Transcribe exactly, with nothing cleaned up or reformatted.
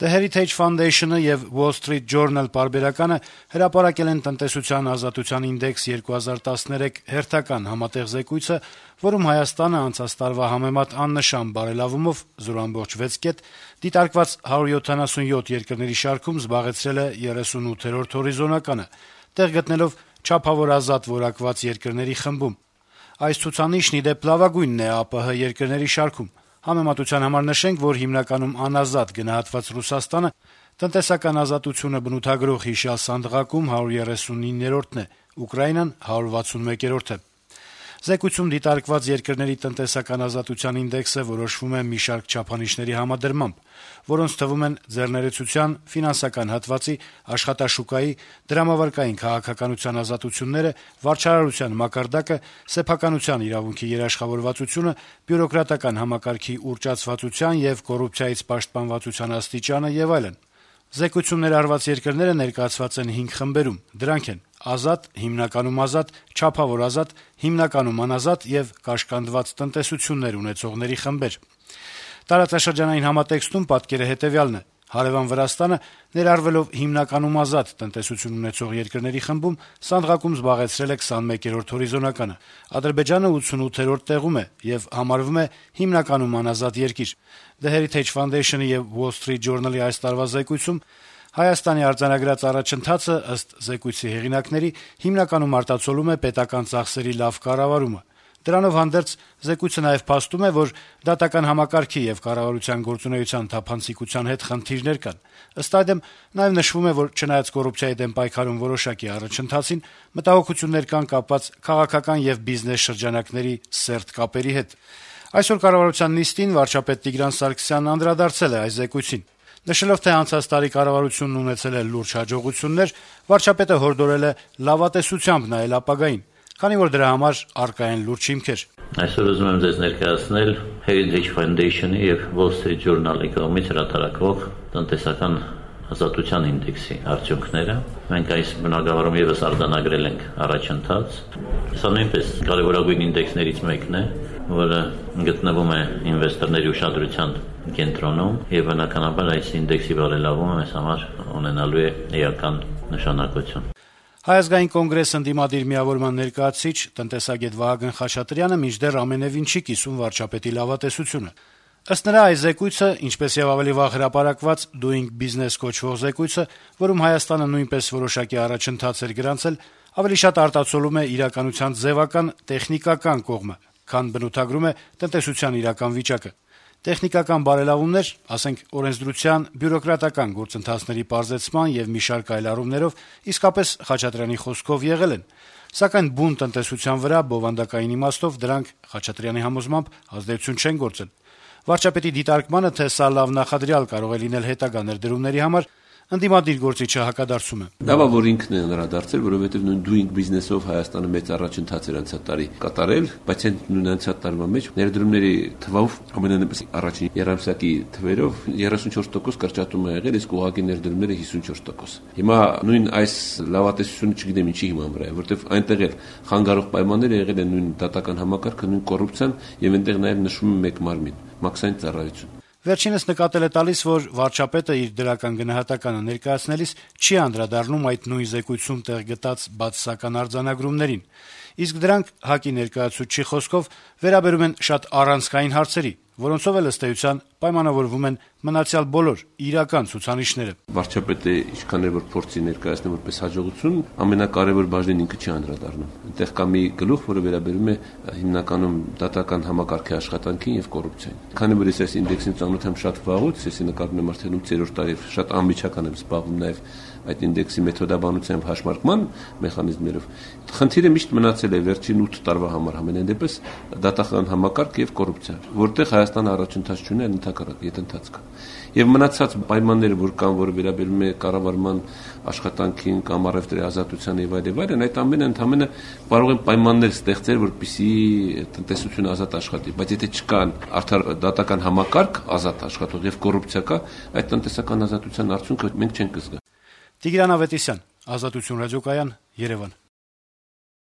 The Heritage Foundation-ը եւ Wall Street Journal պարբերականը հրապարակել են տնտեսության ազատության ինդեքս երկու հազար տասներեք հերթական համատեղ զեկույցը, որում Հայաստանը անցած տարվա համեմատ աննշան բարելավումով զրո ամբողջ վեց կետ դիտարկված հարյուր յոթանասունյոթ երկրների շարքում զբաղեցրել է երեսունութերորդ հորիզոնականը, տեղ գտնելով չափավոր ազատ որակված երկրների խմբում։ Այս ցուցանիշն ի դեպ լավագույնն է ԱՊՀ երկրների շարքում։ Համեմատության համար նշենք, որ հիմնականում անազատ գնահատված Ռուսաստանը տնտեսական ազատությունը բնութագրող հիշյալ սանդղակում հարյուր երեսունիններորդն է, Ուկրաինան հարյուր վաթսունմեկերորդը։ Զեկույցում դիտարկված երկրների տնտեսական ազատության ինդեքսը որոշվում է մի շարք չափանիշների համադրմամբ, որոնց թվում են ձեռներեցության, ֆինանսական հատվածի, աշխատաշուկայի, դրամավարկային քաղաքականության ազատությունները, վարչարարության մակարդակը, սեփականության իրավունքի երաշխավորվածությունը, բյուրոկրատական համակարգի ուռճացվածության եւ կոռուպցիայից պաշտպանվածության աստիճանը եւ այլն։ Զեկույցում ներառված երկրները ներկայացված են հինգ խմբերում. դրանք են ազատ, հիմնականում ազատ, չափավոր ազատ, հիմնականում անազատ եւ կաշկանդված տնտեսություններ ունեցողների խմբեր։ Տարածաշրջանային համատեքստում պատկերը հետեւյալն է. Հարևան Վրաստանը, ներառվելով հիմնականում ազատ տնտեսություն ունեցող երկրների խմբում, սանդղակում զբաղեցրել է քսանմեկերորդ հորիզոնականը։ Ադրբեջանը ութսունութերորդ տեղում է եւ համարվում է հիմնականում անազատ երկիր։ The Heritage Foundation-ի եւ Wall Street Journal-ի այս տարվա զեկույցում Հայաստանի արձանագրած առաջընթացը, ըստ զեկույցի հեղինակների, հիմնականում արտացոլում է պետական ծախսերի լավ կառավարումը։ Դրանով հանդերձ զեկույցը նաեւ փաստում է, որ դատական համակարգի եւ կառավարության գործունեության թափանցիկության հետ խնդիրներ կան։ Ըստ այդմ նաեւ նշվում է, որ չնայած կոռուպցիայի դեմ պայքարում որոշակի առաջընթացին, մտահոգություններ կան կապված քաղաքական եւ բիզնես շրջանակների սերտ կապերի հետ։ Այսօր կառավարության նիստին վարչապետ Տիգրան Սարգսյանն անդրադարձել է այս զեկույցին։ Նշելով, թե անցած տարի կառավարությունն ունեցել է լուրջ հաջողություններ, վարչապետը հորդորել է լավատեսությամբ նայել ապագային, քանի որ դրա համար առկա են լուրջ հիմքեր։ Այսօր ուզում եմ ձեզ ներկայացնել Heritage Foundation-ի եւ Wall Street Journal-ի կողմից հրատարակվող տնտեսական ազատության ինդեքսի արդյունքները։ Մենք այս բնագավառում եւս արձանագրել ենք առաջընթաց։ Սա նույնպես կարևորագույն ինդեքսներից մեկն է, որը գտնվում է ինվեստորների ուշադրության կենտրոնում եւ բնականաբար այս ինդեքսի բարելավումը մեզ համար ունենալու է էական նշանակություն։ Հայ ազգային կոնգրես ընդդիմադիր միավորման ներկայացուցիչ տնտեսագետ Վահագն Խաչատրյանը մինչդեռ ամենեւին չի կիսում վարչապետի լավատեսությունը։ Ըստ նրա, այս զեկույցը, ինչպես եւ ավելի վաղ հրապարակված Doing Business կոչվող զեկույցը, որում Հայաստանը նույնպես որոշակի առաջընթաց էր գրանցել, ավելի շատ արտացոլում է իրականության ձևական, տեխնիկական կողմը, քան բնութագրում է տնտեսության իրական վիճակը։ Տեխնիկական բարելավումներ, ասենք օրենսդրության, բյուրոկրատական գործընթացների պարզեցման եւ մի շարք այլ առումներով իսկապես Խաչատրյանի խոսքով եղել են, սակայն բուն տնտեսության վրա բովանդակային իմաստով դրանք Խաչատրյանի համոզմամբ ազդեցություն չեն գործել։ Վարչապետի դիտարկմանը, թե սա լավ նախադրյալ կարող է լինել հետագա ներդրումների համար, ընդդիմադիր գործիչը հակադարձում է։ Լավա որ ինքն է նրադարձել, որովհետև նույն doing business-ով Հայաստանը մեծ առաջընթաց էր անցած տարի կատարել, բայց այն նույն անցած տարվա մեջ ներդրումների թվով ամենանեպս առաջին երամսյակի թվերով երեսունչորս տոկոս կրճատում է եղել, իսկ ուղղակի ներդրումները հիսունչորս տոկոս։ Հիմա նույն այս լավատեսությունը չգիտեմ ինչի հիման վրա է, որովհետև այնտեղ էլ խանգարող պայմանները եղել են նույն դատական համակարգը, նույն կոռուպցիան եւ այնտեղ նաեւ նշվում է մեկ մարմին՝ մաքսային ծառայություն։ Վերջինս նկատել է տալիս, որ վարչապետը իր դրական գնահատականը ներկայացնելիս չի անդրադառնում այդ նույն զեկույցում տեղ գտած բացասական արձանագրումներին, իսկ դրանք ՀԱԿ-ի ներկայացուցչի խոսքով վերաբերում են շատ առանցքային հարցերի, որոնցով էլ ըստ էության պայմանավորվում են մնացյալ բոլոր իրական ցուցանիշները։ Վարչապետը ինչքան էլ որ փորձի ներկայացնել որպես հաջողություն, ամենակարևոր բաժնին ինքը չի անդրադառնում։ Այնտեղ կա մի գլուխ, որը վերաբերում է հիմնականում դատական համակարգի աշխատանքին եւ կոռուպցիային։ Քանի որ ես այս ինդեքսին ծանոթ եմ շատ վաղուց, ես նկատում եմ արդեն ութերորդ տարի շատ անմիջական եմ զբաղվում նաեւ այդ ինդեքսի մեթոդաբանությամբ հաշմարկման մեխանիզմներով։ Խնդիրը միշտ մնացել է վերջին ութ տարվա համար համենայն դեպս դատական համակարգ եւ կոռուպցիա, որտեղ Հայաստանը առաջընթաց չունի, ընդհակառակ ետնթաց կա։ Եվ մնացած պայմանները, որ կան, որը վերաբերում է կառավարման աշխատանքին կամ առևտրի ազատության եւ այլ եւ այլն, այդ ամենը ընդհանրապես կարող են պայմաններ ստեղծել, որպեսզի տնտեսությունը ազատ աշխատի, բայց եթե չկան արդար դատական համակարգ ազատ աշխատող եւ կոռուպցիա կա, այդ տնտեսական ազատության արդյունքը մենք չենք զգա։ Տիգրան Ավետիսյան, Ազատություն ռադիոկայան, Երևան։